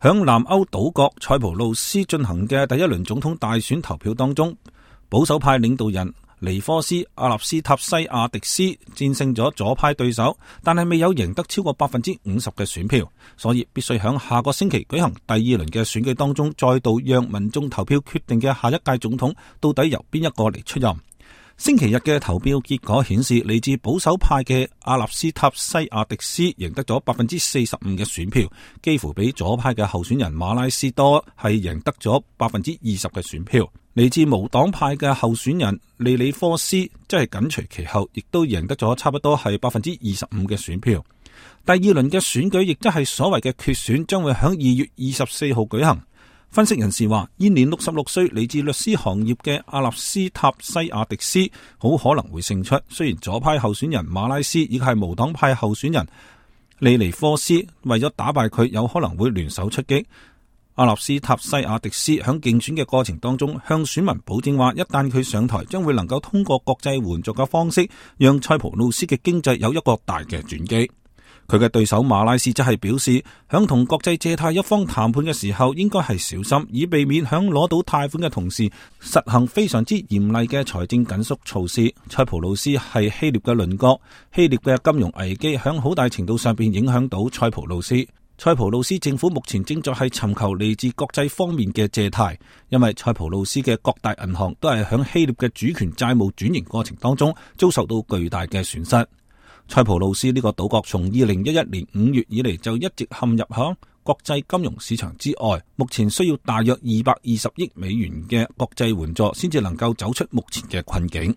響南歐島國塞浦路斯進行嘅第一輪總統大選投票當中，保守派領導人尼科斯·阿納斯塔西亞迪斯戰勝咗左派對手，但係未有贏得超過50%嘅選票，所以必須響下個星期舉行第二輪嘅選舉當中，再度讓民眾投票決定嘅下一屆總統到底由邊一個嚟出任。星期日嘅投票結果顯示，嚟自保守派嘅阿納斯塔西亞迪斯贏得咗45%嘅選票，幾乎比左派嘅候選人馬拉斯多係贏得咗20%嘅選票。嚟自無黨派嘅候選人利里科斯即係緊隨其後，亦都贏得咗差不多係25%嘅選票。第二輪嘅選舉亦即係所謂嘅決選，將會喺2月24號舉行。分析人士話，現年66歲嚟自律師行業嘅阿納斯塔西亞迪斯好可能會勝出。雖然左派候選人馬拉斯以及係無黨派候選人利尼科斯為咗打敗佢，有可能會聯手出擊。阿納斯塔西亞迪斯響競選嘅過程當中，向選民保證話，一旦佢上台，將會能夠通過國際援助嘅方式，讓塞浦路斯嘅經濟有一個大嘅轉機。佢嘅對手馬拉斯則係表示，響同國際借貸一方談判嘅時候，應該係小心，以避免響攞到貸款嘅同時，實行非常之嚴厲嘅財政緊縮措施。塞浦路斯係希臘嘅鄰國，希臘嘅金融危機響好大程度上邊影響到塞浦路斯。塞浦路斯政府目前正在係尋求嚟自國際方面嘅借貸，因為塞浦路斯嘅各大銀行都係響希臘嘅主權債務轉型過程當中遭受到巨大嘅損失。塞浦路斯呢個島國從2011年5月以嚟就一直陷入響國際金融市場之外，目前需要大約220億美元嘅國際援助先至能夠走出目前嘅困境。